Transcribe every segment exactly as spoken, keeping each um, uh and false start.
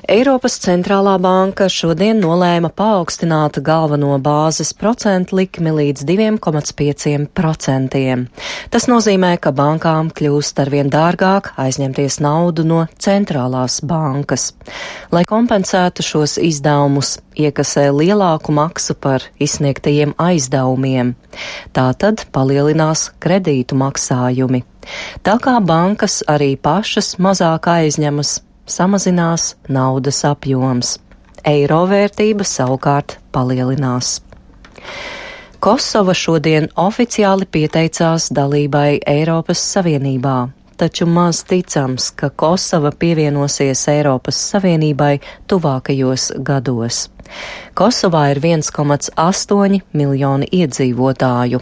Eiropas centrālā banka šodien nolēma paaugstināt galveno bāzes procentu likmi līdz divi komats pieci procenti. Tas nozīmē, ka bankām kļūst arvien dārgāk aizņemties naudu no centrālās bankas. Lai kompensētu šos izdevumus, iekasē lielāku maksu par izsniegtajiem aizdevumiem. Tātad palielinās kredītu maksājumi. Tā kā bankas arī pašas mazāk aizņemas, samazinās naudas apjoms. Eiro vērtība savukārt palielinās. Kosova šodien oficiāli pieteicās dalībai Eiropas Savienībā, taču maz ticams, ka Kosova pievienosies Eiropas Savienībai tuvākajos gados. Kosovā ir viens komats astoņi miljoni iedzīvotāju.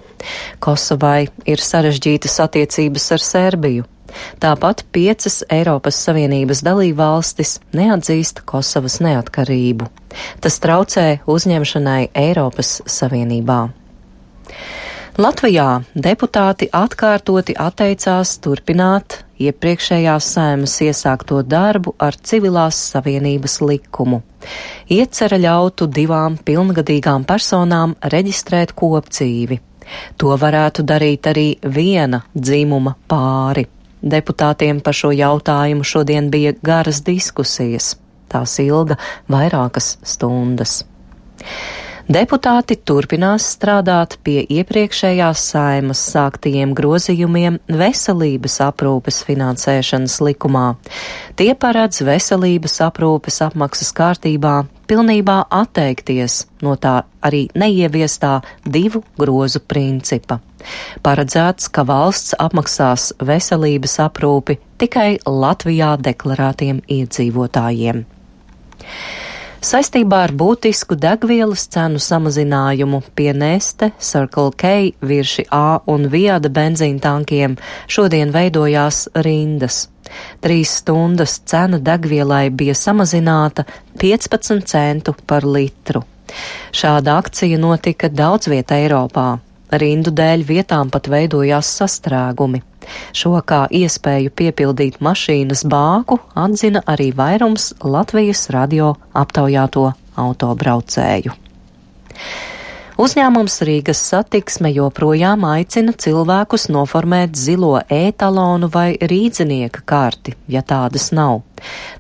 Kosovai ir sarežģītas attiecības ar Serbiju. Tāpat piecas Eiropas Savienības dalībvalstis neatzīst Kosovas neatkarību. Tas traucē uzņemšanai Eiropas Savienībā. Latvijā deputāti atkārtoti atteicās turpināt iepriekšējās Saeimas iesākto darbu ar civilās savienības likumu. Iecerē ļautu divām pilngadīgām personām reģistrēt kopdzīvi. To varētu darīt arī viena dzimuma pāri. Deputātiem par šo jautājumu šodien bija garas diskusijas. Tās ilga vairākas stundas. Deputāti turpinās strādāt pie iepriekšējās Saeimas sāktajiem grozījumiem veselības aprūpes finansēšanas likumā. Tie paredz veselības aprūpes apmaksas kārtībā pilnībā atteikties no tā arī neieviestā divu grozu principa. Paredzēts, ka valsts apmaksās veselības aprūpi tikai Latvijā deklarētiem iedzīvotājiem. Saistībā ar būtisku degvielas cenu samazinājumu pie Neste, Circle K, Virši A un Viada benzīna tankiem šodien veidojās rindas. Trīs stundas cena degvielai bija samazināta piecpadsmit centu par litru. Šāda akcija notika daudz viet Eiropā. Rindu dēļ vietām pat veidojās sastrēgumi. Šo kā iespēju piepildīt mašīnas bāku atzina arī vairums Latvijas radio aptaujāto autobraucēju. Uzņēmums Rīgas Satiksme joprojām aicina cilvēkus noformēt zilo e-talonu vai rīdzinieka karti, ja tādas nav.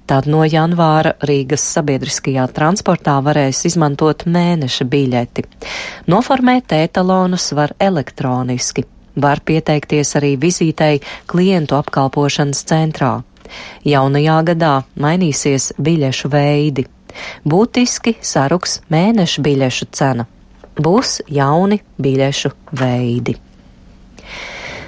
Tad no janvāra Rīgas sabiedriskajā transportā varēs izmantot mēneša biļeti. Noformēt e-talonus var elektroniski. Var pieteikties arī vizītei klientu apkalpošanas centrā. Jaunajā gadā mainīsies biļešu veidi. Būtiski saruks mēneša biļešu cena. Būs jauni biļešu veidi.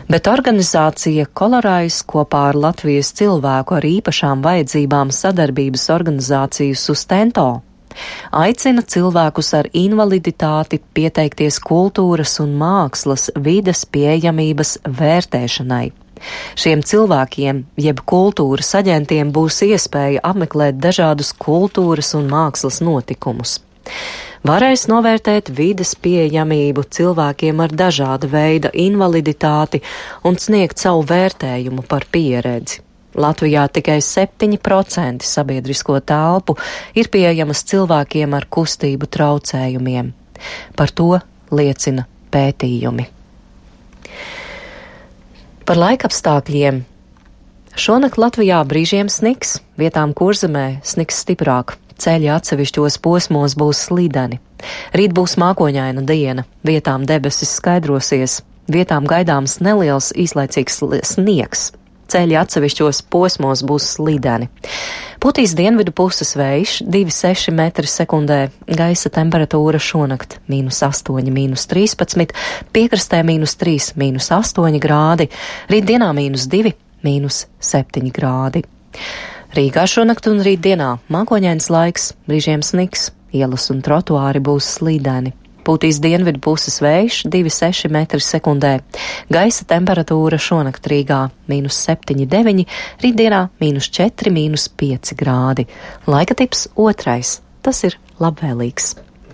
Bet organizācija Kolorais kopā ar Latvijas cilvēku ar īpašām vajadzībām sadarbības organizāciju Sustento aicina cilvēkus ar invaliditāti pieteikties kultūras un mākslas vides pieejamības vērtēšanai. Šiem cilvēkiem, jeb kultūras aģentiem, būs iespēja apmeklēt dažādus kultūras un mākslas notikumus. Varēs novērtēt vides pieejamību cilvēkiem ar dažāda veida invaliditāti un sniegt savu vērtējumu par pieredzi. Latvijā tikai septiņi procenti sabiedrisko telpu ir pieejamas cilvēkiem ar kustību traucējumiem. Par to liecina pētījumi. Par laikapstākļiem. Šonakt Latvijā brīžiem sniks, vietām Kurzemē sniks stiprāk. Ceļi atsevišķos posmos būs slideni. Rīt būs mākoņaina diena, vietām debesis skaidrosies, vietām gaidāms neliels īslaicīgs sniegs. Ceļi atsevišķos posmos būs slideni. Putīs dienvidu puses vējš divi komats seši metri sekundē, gaisa temperatūra šonakt mīnus astoņi, mīnus trīspadsmit, piekrastē mīnus trīs, mīnus astoņi grādi, rītdienā mīnus divi, mīnus septiņi grādi. Rīgā šonakt un rītdienā mākoņains laiks, brīžiem sniks, ielas un trotuāri būs slīdeni. Pūtīs dienvidu puses vējš divi komats seši metri sekundē. Gaisa temperatūra šonakt Rīgā mīnus septiņi, deviņi, rītdienā mīnus četri, mīnus pieci grādi. Laika tips otrais. Tas ir labvēlīgs.